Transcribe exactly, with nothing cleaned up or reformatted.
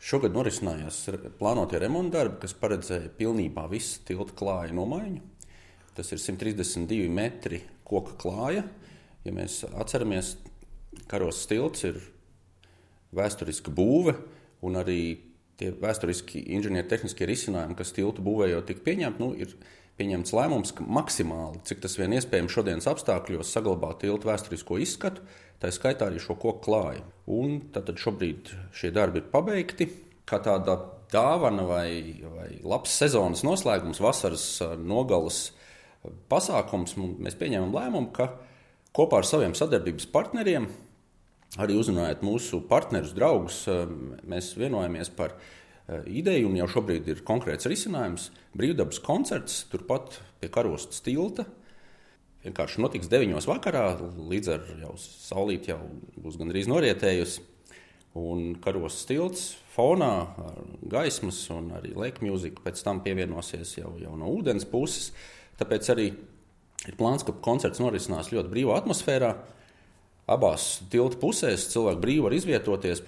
Šogad norisinājās plānotie remonta darbi, kas paredzēja pilnībā visu tilta klāja nomaiņu. Tas ir simt trīsdesmit divi metri koka klāja. Ja mēs atceramies, Karostas tilts ir vēsturiska būve un arī tie vēsturiski inženiertehniskie risinājumi, kas tiltu būvējot tika pieņemti, nu, ir pieņemts lēmums, ka maksimāli, cik tas vien iespējams šodienas apstākļos, saglabāt tiltu vēsturisko izskatu, tā skaitā arī šo koku klāju. Un tad šobrīd šie darbi ir pabeigti. Kā tāda dāvana vai, vai labs sezonas noslēgums, vasaras nogalas pasākums, mēs pieņēmām lēmumu, ka kopā ar saviem sadarbības partneriem, arī uzrunājot mūsu partnerus, draugus, mēs vienojamies par ideju, un jau šobrīd ir konkrēts risinājums. Brīvdabas koncerts turpat pie Karostas tilta. Vienkārši notiks deviņos vakarā, līdz ar jau saulīt jau būs gandrīz norietējusi. Un Karostas tilts fonā ar gaismas un arī lake music pēc tam pievienosies jau, jau no ūdens puses. Tāpēc arī ir plāns, ka koncerts norisinās ļoti brīvā atmosfērā. Abās tilta pusēs cilvēki brīvi var izvietoties,